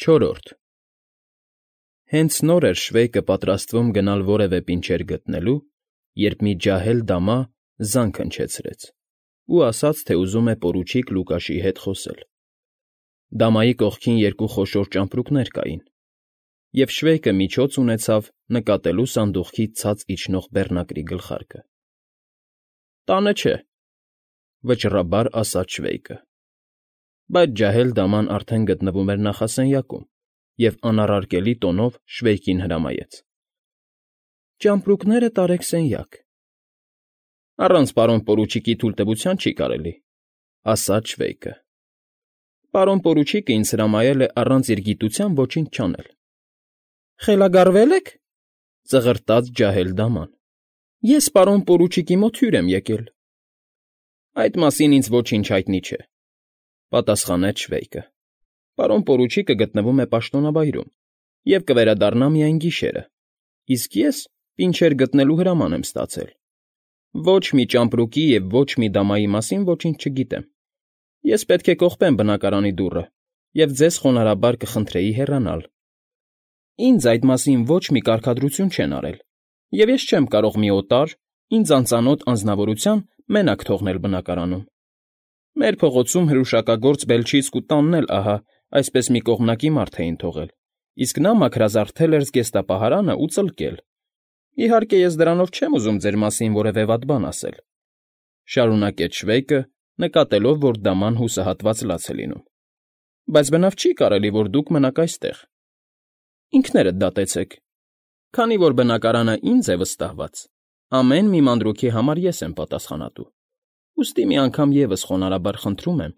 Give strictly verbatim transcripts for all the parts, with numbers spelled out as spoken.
Չորրորդ Հենց նոր էր Շվեյկը պատրաստվում գնալ որևէ պինչեր գտնելու, երբ մի ջահել դամա զանգ հնչեցրեց ու ասաց, թե ուզում է պորուչիկ Լուկաշի հետ խոսել. դամայի կողքին երկու խոշոր ճամպրուկներ կային, և Շվեյկը միջոց ունեցավ նկատելու սանդուղքից ցած իջնող բեռնակրի գլխարկը։ ֊ Տանը չէ,֊ վճռաբար ասաց Շվեյկը։ Բայց ջահել դաման արդեն գտնվում էր նախասենյակում և անառարկելի տոնով Շվեյկին հրամայեց. ֊ Ճամպրուկները տարեք սենյակ։ ֊ Առանց պարոն պորուչիկի թույլտվության չի կարելի,֊ ասաց Շվեյկը։ ֊ Պարոն պորուչիկը ինձ հրամայել է առանց իր գիտության ոչինչ չանել։ ֊ Խելագարվե՞լ եք,֊ ծղրտաց ջահել դաման։ ֊ Ես պարոն պորուչիկի մոտ հյուր եմ եկել։ ֊ Այդ մասին ինձ ոչինչ հայտնի չէ,֊ պատասխանեց Շվեյկը։ ֊ Պարոն պորուչիկը գտնվում է պաշտոնավայրում և կվերադառնա միայն գիշերը, իսկ ես պինչեր գտնելու հրաման եմ ստացել։ Ոչ մի ճամպրուկի և ոչ մի դամայի մասին ոչինչ չգիտեմ։ Ես պետք է կողպեմ բնակարանի դուռը և ձեզ խոնարհաբար կխնդրեի հեռանալ։ Ինձ այդ մասին ոչ մի կարգադրություն չեն արել, և ես չեմ կարող մի օտար, ինձ անծանոթ անձնավորության մենակ թողնել բնակարանում։ Մեր փողոցում հրուշակագործ Բելչիցկու տանն էլ ահա այսպես մի կողմնակի մարդ էին թողել, իսկ նա մաքրազարդել էր զգեստապահարանը ու ծլկել։ Իհարկե, ես դրանով չեմ ուզում ձեր մասին որևէ վատ բան ասել,֊ շարունակեց Շվեյկը, նկատելով, որ դաման հուսահատված լաց է լինում,֊ բայց բնավ չի կարելի, որ դուք մնաք այստեղ։ Ինքներդ դատեցեք, քանի որ բնակարանը ինձ է վստահված, ամեն մի մանրուքի համար ես եմ պատասխանատու, ուստի մի անգամ ևս խոնարհաբար խնդրում եմ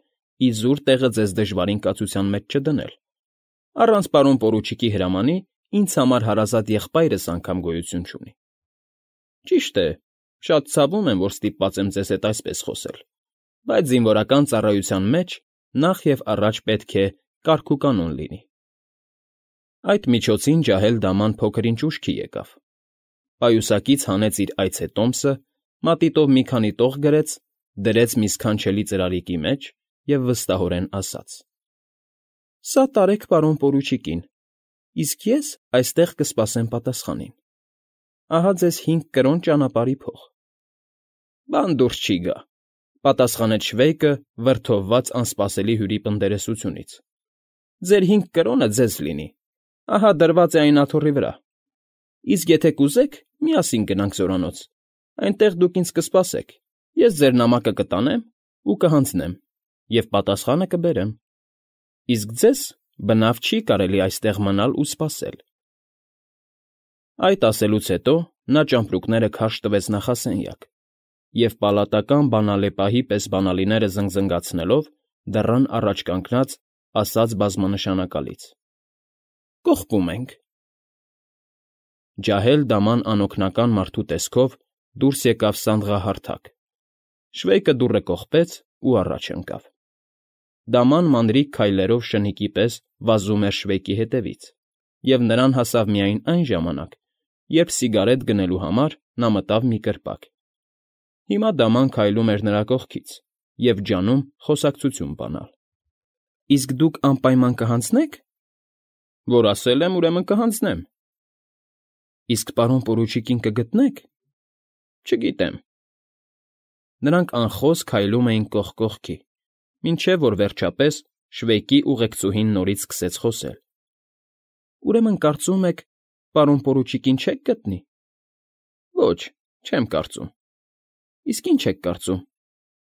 իզուր տեղը ձեզ դժվարին կացության մեջ չդնել։ Առանց պարոն պորուչիկի հրամանի ինձ համար հարազատ եղբայրս անգամ գոյություն չունի։ Ճիշտ է, շատ ցավում եմ, որ ստիպված եմ ձեզ հետ այսպես խոսել, բայց զինվորական ծառայության մեջ նախ և առաջ պետք է կարգուկանոն լինի։ Այդ միջոցին ջահել դաման փոքր֊ինչ ուշքի եկավ։ Պայուսակից հանեց իր այցետոմսը, մատիտով մի քանի տող գրեց, դրեց մի սքանչելի ծրարիկի մեջ և վստահորեն ասաց. ֊ Սա տարեք պարոն պորուչիկին, իսկ ես այստեղ կսպասեմ պատասխանին։ Ահա ձեզ հինգ կրոն ճանապարհի փող։ ֊ Բան դուրս չի գա,֊ պատասխանեց Շվեյկը վրդովված անսպասելի հյուրի պնդերեսությունից։ ֊ Ձեր հինգ կրոնը ձեզ լինի, ահա դրված է այն աթոռի վրա։ Իսկ եթե կուզեք, միասին գնանք զորանոց, այնտեղ դուք ինձ կսպասեք, ես ձեր նամակը կտանեմ ու կհանձնեմ և պատասխանը կբերեմ։ Իսկ ձեզ բնավ չի կարելի այստեղ մնալ ու սպասել։ Այդ ասելուց հետո նա ճամպրուկները քարշ տվեց նախասենյակ և պալատական բանալեպահի պես բանալիները զնգզնգացնելով դռան առաջ կանգնած ասաց բազմանշանակալից. ֊ Կողպում ենք։ Ջահել դաման անօգնական մարդու տեսքով դուրս եկավ սանդղահարթակ։ Շվեյկը դուռը կողպեց ու առաջ ընկավ։ Դաման մանրիկ քայլերով շնիկի պես վազում էր Շվեյկի հետևից, և նրան հասավ միայն այն ժամանակ, երբ սիգարետ գնելու համար նա մտավ մի կրպակ։ Հիմա դաման քայլում էր նրա կողքից և ջանում խոսակցություն բանալ։ ֊ Իսկ դուք անպայման կհանձնե՞ք։ ֊ Որ ասել եմ, ուրեմն կհանձնեմ։ ֊ Իսկ պարոն պորուչիկին կգտնե՞ք։ ֊ Չգիտեմ։ Նրանք անխոս քայլում էին կողք կողքի, մինչև որ վերջապես Շվեյկի ուղեկցուհին նորից սկսեց խոսել. ֊ Ուրեմն կարծում եք, պարոն պորուչիկին չեք գտնի։ ֊ Ոչ, չեմ կարծում։ ֊ Իսկ ի՞նչ եք կարծում,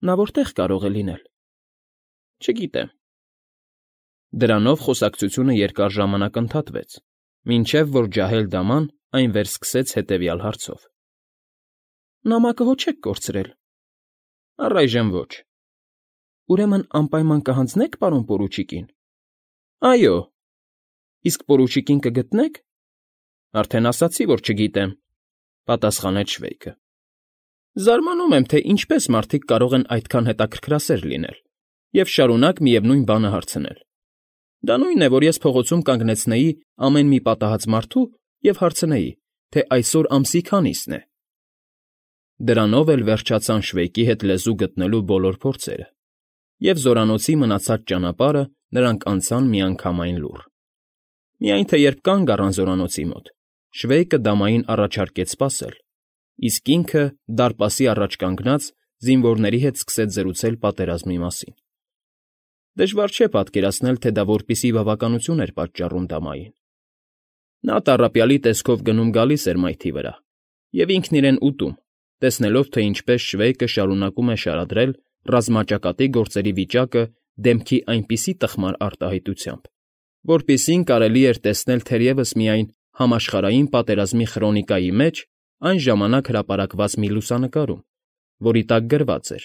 նա որտե՞ղ կարող է լինել։ ֊ Չգիտեմ։ Դրանով խոսակցությունը երկար ժամանակ ընդհատվեց, մինչև որ ջահել դաման այն վերսկսեց հետևյալ հարցով. ֊ Նամակը հո չեք կորցրել։ ֊ Առայժմ ոչ։ ֊ Ուրեմն անպայման կհանձնե՞ք պարոն պորուչիկին։ ֊ Այո։ ֊ Իսկ պորուչիկին կգտնե՞ք։ ֊ Արդեն ասացի, որ չգիտեմ,֊ պատասխանեց Շվեյկը։ ֊ Զարմանում եմ, թե ինչպես մարդիկ կարող են այդքան հետաքրքրասեր լինել և շարունակ միևնույն բանը հարցնել։ Դա նույնն է, որ ես փողոցում կանգնեցնեի ամեն մի պատահած մարդու և հարցնեի, թե այսօր ամսի քանիսն է։ Դրանով էլ վերջացան Շվեյկի հետ լեզու գտնելու բոլոր փորձերը, և զորանոցի մնացած ճանապարհը նրանք անցան միանգամայն լուռ։ Միայն թե երբ կանգ առան զորանոցի մոտ, Շվեյկը դամային առաջարկեց սպասել, իսկ ինքը, դարպասի առաջ կանգնած, զինվորների հետ սկսեց զրուցել պատերազմի մասին։ Դժվար չէ պատկերացնել, թե դա որպիսի բավականություն էր պատճառում դամային։ Նա տառապյալի տեսքով գնում֊գալիս էր մայթի վրա, և ինքն իրեն ուտում, տեսնելով, թե ինչպես Շվեյկը շարունակում է շարադրել ռազմաճակատի գործերի վիճակը դեմքի այնպիսի տխմար արտահայտությամբ, որպիսին կարելի էր տեսնել թերևս միայն համաշխարհային պատերազմի խրոնիկայի մեջ այն ժամանակ հրապարակված մի լուսանկարում, որի տակ գրված էր.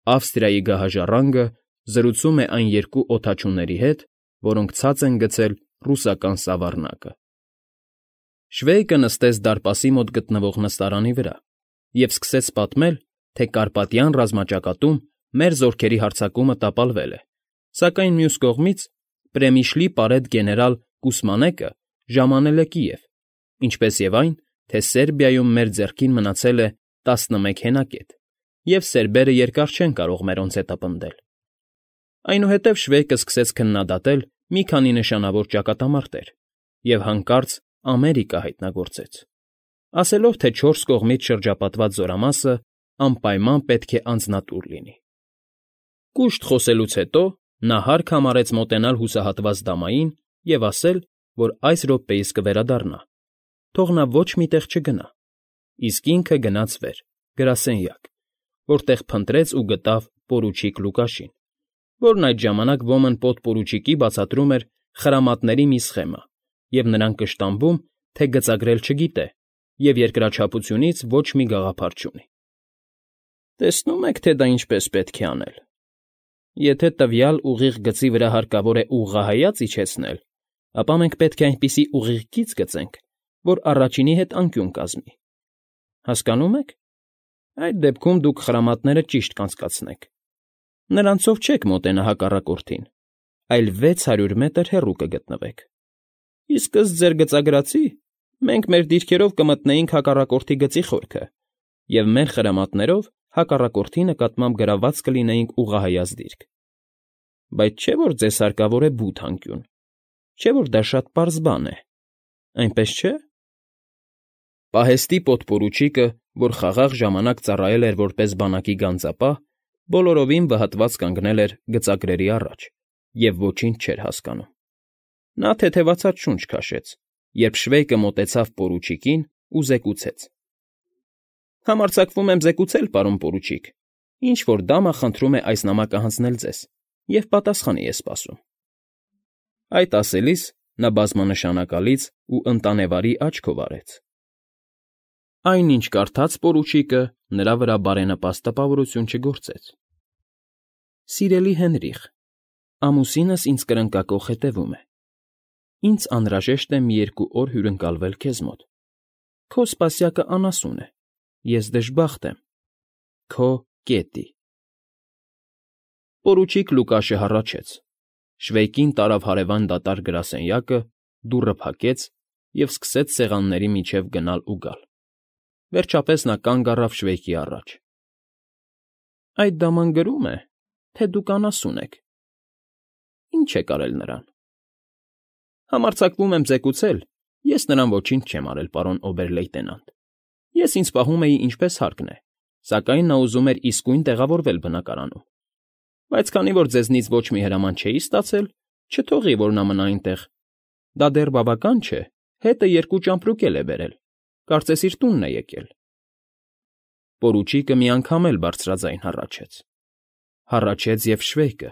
«Ավստրիայի գահաժառանգը զրուցում է այն երկու օդաչուների հետ, որոնք ցած են գցել ռուսական սավառնակը»։ Շվեյկը նստեց դարպասի մոտ գտնվող նստարանի վրա և սկսեց պատմել, թե Կարպատյան ռազմաճակատում մեր զորքերի հարձակումը տապալվել է, սակայն մյուս կողմից Պրեմիշլի պարետ գեներալ Կուսմանեկը ժամանել է Կիև, ինչպես և այն, թե Սերբիայում մեր ձեռքին մնացել է տասնմեկ հենակետ, և սերբերը երկար չեն կարող մերոնց հետապնդել։ Այնուհետև Շվեյկը սկսեց քննադատել մի քանի նշանավոր ճակատամարտեր և հանկարծ Ամերիկա հայտնագործեց, ասելով, թե չորս կողմից շրջապատված զորամասը անպայման պետք է անձնատուր լինի։ Կուշտ խոսելուց հետո նա հարկ համարեց մոտենալ հուսահատված դամային և ասել, որ այս րոպեիս կվերադառնա, թող նա ոչ մի տեղ չգնա, իսկ ինքը գնաց վեր, գրասենյակ, որտեղ փնտրեց ու գտավ պորուչիկ Լուկաշին, որն այդ ժամանակ ոմն պոդպորուչիկի բացատրում էր խրամատների մի սխեմա և նրան կշտամբում, թե գծագրել չգիտե և երկրաչափությունից ոչ մի գաղափար չունի։ Տեսնում եք, թե դա ինչպես պետք է անել։ Եթե տվյալ ուղիղ գծի վրա հարկավոր է ուղղահայաց իջեցնել, ապա մենք պետք է այնպիսի ուղիղ գիծ գծենք, որ առաջինի հետ անկյուն կազմի։ Հասկանո՞ւմ եք։ Այդ դեպքում դուք խրամատները ճիշտ կանցկացնեք։ Նրանցով չեք մոտենա հակառակորդին, այլ վեց հարյուր մետր հեռու կգտնվեք։ Իսկ ըստ ձեր գծագրածի, մենք մեր դիրքերով կմտնեինք հակառակորդի գծի խորքը և մեր խրամատներով հակառակորդի նկատմամբ գրաված կլինեինք ուղղահայաց դիրք։ Բայց չէ՞ որ ձեզ հարկավոր է բութ անկյուն, չէ՞ որ դա շատ պարզ բան է, այնպես չէ՞։ Պահեստի պոդպորուչիկը, որ խաղաղ ժամանակ ծառայել էր որպես բանակի գանձապահ, բոլորովին վհատված կանգնել էր գծագրերի առաջ և ոչինչ չէր հասկանում։ Նա թեթևացած շունչ քաշեց, երբ Շվեյկը մոտեցավ պորուչիկին ու զեկուցեց. «Համարձակվում եմ զեկուցել, պարոն պորուչիկ, ինչ֊որ դամը խնդրում է այս նամակը հանձնել ձեզ և պատասխանի է սպասում»։ Այդ ասելիս նա բազմանշանակալից ու ընտանեվարի աչքով արեց։ Այն, ինչ կարդաց պորուչիկը, նրա վրա բարենպաստ տպավորություն չգործեց։ «Սիրելի Հենրիխ, ամուսինս ինձ կրնկակոխ հետևում է։ Ինձ անհրաժեշտ է մի երկու օր հյուրընկալվել քեզ մոտ։ Քո սպասյակը անասուն է, ես դժբախտ եմ։ Քո Կետի»։ Պորուչիկ Լուկաշը հառաչեց։ Շվեյկին տարավ հարևան դատարկ գրասենյակը, դուռը փակեց և սկսեց սեղանների միջև գնալ ու գալ։ Վերջապես նա կանգ առավ Շվեյկի առաջ։ «Այդ դաման գրում է, թե դուք անասուն եք։ Ի՞նչ եք արել նրան»։ «Համարձակվում եմ զեկուցել, ես նրան ոչինչ չեմ արել, պարոն օբեր֊լեյտենանտ։ Ես ինձ պահում էի ինչպես հարկն է, սակայն նա ուզում էր իսկույն տեղավորվել բնակարանում։ Բայց քանի որ ձեզնից ոչ մի հրաման չէի ստացել, չթողի, որ նա մնա այնտեղ։ Դա դեռ բավական չէ, հետը երկու ճամպրուկ էլ է բերել, կարծես իր տունն է եկել»։ Պորուչիկը մի անգամ էլ բարձրաձայն հառաչեց։ Հառաչեց և Շվեյկը։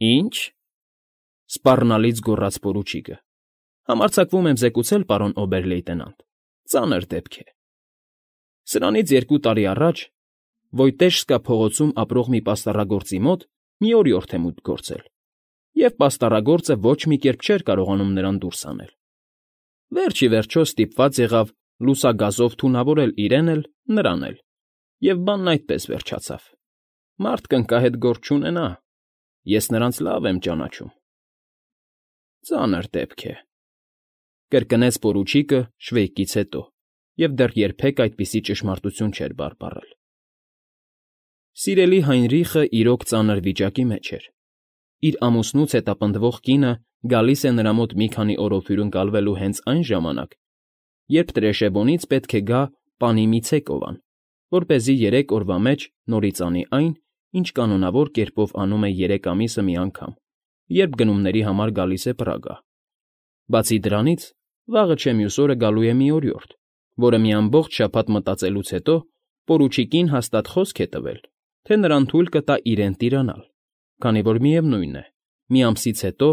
«Ի՞նչ», սպառնալից գոռաց պորուչիկը։ «Համարձակվում եմ զեկուցել, պարոն օբեր֊լեյտենանտ, ծանր դեպք է։ Սրանից երկու տարի առաջ Վոյտեժսկա փողոցում ապրող մի պաստառագործի մոտ մի օրիորդ է մուտք գործել, և պաստառագործը ոչ մի կերպ չէր կարողանում նրան դուրս հանել։ Վերջ ի վերջո ստիպված եղավ լուսագազով թունավորել իրեն էլ, նրան էլ, և բանն այդպես վերջացավ։ Մարդ կնկա հետ գործ չունենա, ես նրանց լավ եմ ճանաչում»։ «Ծանր դեպք է», կրկնեց պորուչիկը Շվեյկից հետո, և դեռ երբեք այդպիսի ճշմարտություն չէր բարբառել։ Սիրելի Հայնրիխը իրոք ծանր վիճակի մեջ էր, իր ամուսնուց հետապնդվող կինը գալիս է նրա մոտ մի քանի օրով հյուրընկալվելու հենց այն ժամանակ, երբ Տրեշեբոնից պետք է գա պանի մի ցեկովան, որպեսզի երեք օրվա մեջ նորից անի այն, ինչ կանոնավոր կերպով անում է երեք ամիսը մի անգամ, երբ գնումների համար գալիս է Պրագա։ Բացի դրանից, վաղը չէ մյուս օրը գալու է մի օրիորդ, որը մի ամբողջ շաբաթ մտածելուց հետո պորուչիկին հաստատ խոսք է տվել, թե նրան թույլ կտա իրեն տիրանալ, քանի որ միևնույն է, մի ամսից հետո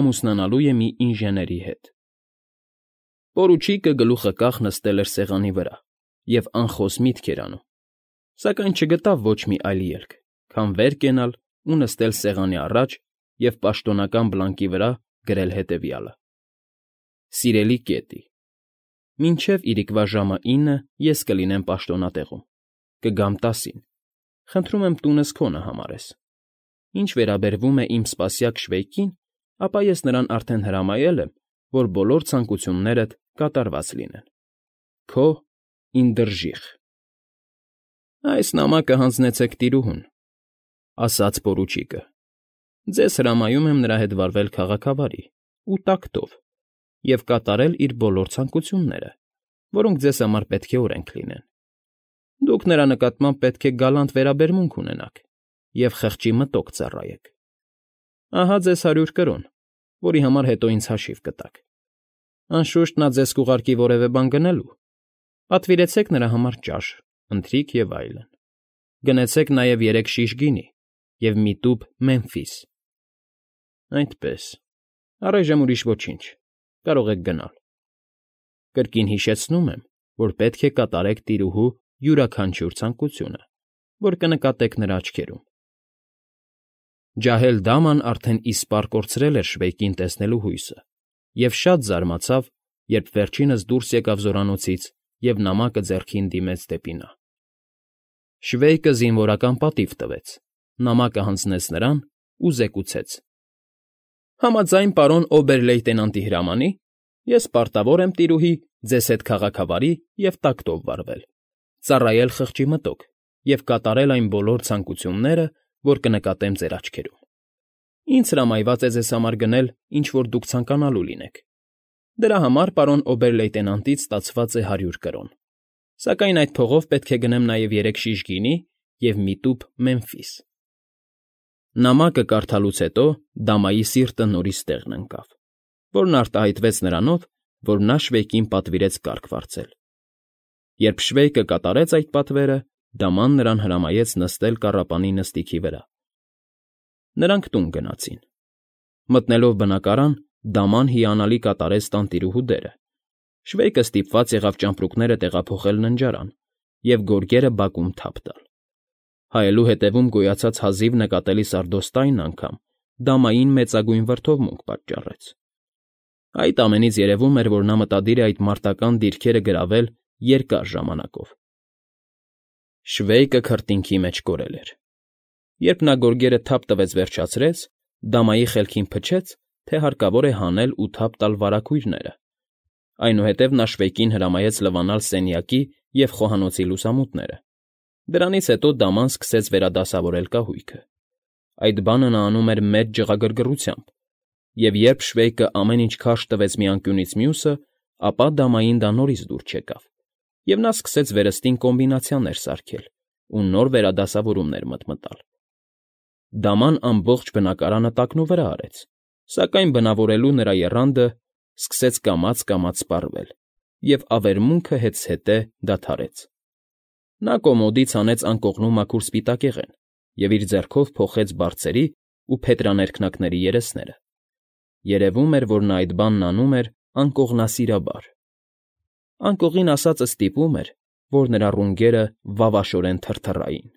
ամուսնանալու է մի ինժեների հետ։ Պորուչիկը գլուխը կախ նստել էր սեղանի վրա և անխոս միտք էր անում, սակայն չգտավ ոչ մի այլ ելք, քան վեր կենալ ու նստել սեղանի առաջ և պաշտոնական բլանկի վրա գրել հետևյալը. Սիրելի Կետի, մինչև իրիկվա ժամը ինը ես կլինեմ պաշտոնատեղում, կգամ տասին, խնդրում եմ տունս քոնը համարես։ Ինչ վերաբերվում է իմ սպասյակ Շվեյկին, ապա ես նրան արդեն հրամայել եմ, որ բոլոր ցանկություններդ կատարված լինեն։ Քո Ինդրժիխ։ Այս նամակը հանձնեցեք տիրուհուն, ասաց պորուչիկը։ Ձեզ հրամայում եմ նրա հետ վարվել քաղաքավարի ու տակտով և կատարել իր բոլոր ցանկությունները, որոնք ձեզ համար պետք է օրենք լինեն։ Դուք նրա նկատմամբ պետք է գալանտ վերաբերմունք ունենաք և խղճի մտոք ծառայեք։ Ահա ձեզ հարյուր կրոն, որի համար հետո ինձ հաշիվ կտաք։ Անշուշտ նա ձեզ կուղարկի որևէ բան գնելու։ Պատվիրեցեք նրա համար ճաշ, ընթրիք և այլն։ Գնեցեք նաև երեք շիշ գինի և մի տուփ Մեմֆիս։ Այդպես, առայժմ ուրիշ ոչինչ, կարող եք գնալ։ Կրկին հիշեցնում եմ, որ պետք է կատարեք տիրուհու յուրաքանչյուր ցանկությունը, որ կնկատեք նրա աչքերում։ Ջահել֊դաման արդեն իսպառ կորցրել էր Շվեյկին տեսնելու հույսը և շատ զարմացավ, երբ վերջինս դուրս եկավ զորանոցից և նամակը ձեռքին դիմեց դեպի նա։ Շվեյկը զինվորական պատիվ տվեց, նամակը հանձնեց նրան ու զեկուցեց. Համաձայն պարոն օբեր֊լեյտենանտի հրամանի, ես պարտավոր եմ տիրուհի ձեզ հետ քաղաքավարի և տակտով վարվել, ծառայել խղճի մտոք և կատարել այն բոլոր ցանկությունները, որ կնկատեմ ձեր աչքերում։ Ինձ հրամայված է ձեզ համար գնել, ինչ որ դուք ցանկանալու լինեք։ Դրա համար պարոն օբեր֊լեյտենանտից ստացված է հարյուր կրոն, սակայն այդ փողով պետք է գնեմ նաև երեք շիշ գինի և մի տուփ Մեմֆիս։ Նամակը կարդալուց հետո դամայի սիրտը նորից տեղն ընկավ, որն արտահայտվեց նրանով, որ նա Շվեյկին պատվիրեց կարգ վարձել։ Երբ Շվեյկը կատարեց այդ պատվերը, դաման նրան հրամայեց նստել կառապանի նստիքի վրա։ Նրանք տուն գնացին։ Մտնելով բնակարան, դաման հիանալի կատարեց տանտիրուհու դերը։ Շվեյկը ստիպված եղավ ճամպրուկները տեղափոխել ննջարան և գորգերը բակում թափ տալ։ Հայելու հետևում գոյացած հազիվ նկատելի սարդոստայնն անգամ դամային մեծագույն վրդովմունք պատճառեց։ Այդ ամենից երևում էր, որ նա մտադիր է այդ մարտական դիրքերը գրավել երկար ժամանակով։ Շվեյկը քրտինքի մեջ կորել էր։ Երբ նա գորգերը թափ տվեց վերջացրեց, դամայի խելքին փչեց, թե հարկավոր է հանել ու թափ տալ վարագույրները։ Այնուհետև նա Շվեյկին հրամայեց լվանալ սենյակի և խոհանոցի լուսամուտները։ Դրանից հետո դաման սկսեց վերադասավորել կահույքը։ Այդ բանը նա անում էր մեծ ջղագրգռությամբ, և երբ Շվեյկը ամեն ինչ քարշ տվեց մի անկյունից մյուսը, ապա դամային դա նորից դուր չեկավ, և նա սկսեց վերստին կոմբինացիաներ սարքել ու նոր վերադասավորումներ մտմտալ։ Դաման ամբողջ բնակարանը տակնուվրա արեց, սակայն բնավորելու նրա եռանդը սկսեց կամաց֊կամաց սպառվել, և ավերմունքը հետզհետե դադարեց։ Նա կոմոդից հանեց անկողնու մաքուր սպիտակեղեն և իր ձեռքով փոխեց բարձերի ու փետրաներքնակների երեսները։ Երևում էր, որ նա այդ բանն անում էր անկողնասիրաբար։ Անկողին ասածը ստիպում էր, որ նրա ռունգերը վավաշորեն թրթռային։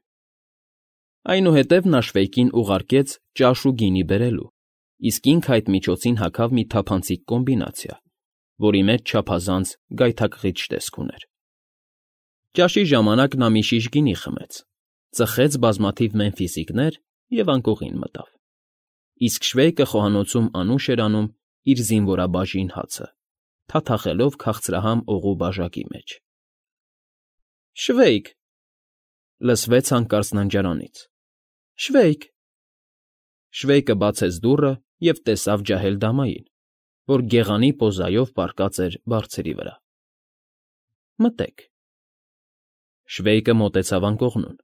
Այնուհետև նա Շվեյկին ուղարկեց ճաշ ու գինի բերելու, իսկ ինքը այդ միջոցին հագավ մի թափանցիկ կոմբինացիա, որի մեջ չափազանց գայթակղիչ տեսք ուներ։ Ճաշի ժամանակ նա մի շիշ գինի խմեց, ծխեց բազմաթիվ մեմֆիսիկներ և անկողին մտավ։ Իսկ Շվեյկը խոհանոցում անուշ էր անում իր զինվորաբաժին հացը, թաթախելով քաղցրահամ օղու բաժակի մեջ։ Շվեյկ…֊ լսվեց հանկարծ ննջարանից։ Շվեյկ… Շվեյկը բացեց դուռը և տեսավ ջահել֊դամային, որ գեղանի պոզայով պառկած էր բարձրի վրա։ ֊ Մտե՛ք։ Շվեյկը մոտեցավ անկողնուն։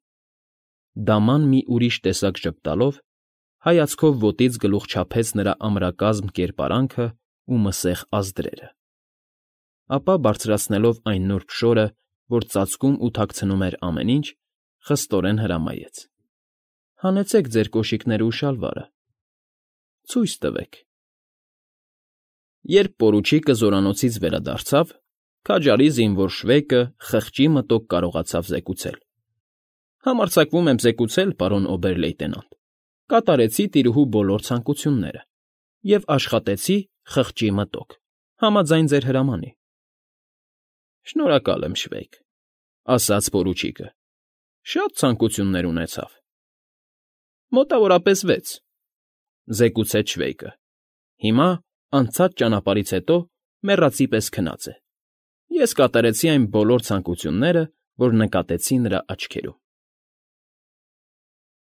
Դաման մի ուրիշ տեսակ ժպտալով հայացքով ոտից գլուխ չափեց նրա ամրակազմ կերպարանքն ու մսեղ ազդրերը, ապա բարձրացնելով այն նուրբ շորը, որ ծածկում ու թաքցնում էր ամեն ինչ, խստորեն հրամայեց. ֊ Հանեցեք ձեր կոշիկներն ու շալվարը… Ցույց տվեք… Երբ պորուչիկը զորանոցից վերադարձավ, քաջարի զինվոր Շվեյկը խղճի մտոք կարողացավ զեկուցել. ֊ Համարձակվում եմ զեկուցել, պարոն օբեր֊լեյտենանտ, կատարեցի տիրուհու բոլոր ցանկությունները և աշխատեցի խղճի մտոք, համաձայն ձեր հրամանի։ ֊ Շնորհակալ եմ, Շվեյկ,֊ ասաց պորուչիկը։֊ Շատ ցանկություններ ունեցավ։ ֊ Մոտավորապես վեց,֊ զեկուցեց Շվեյկը։֊ Հիմա, անցած ճանապարհից հետո, մեռածի պես քնած է։ Ես կատարեցի այն բոլոր ցանկությունները, որ նկատեցի նրա աչքերում։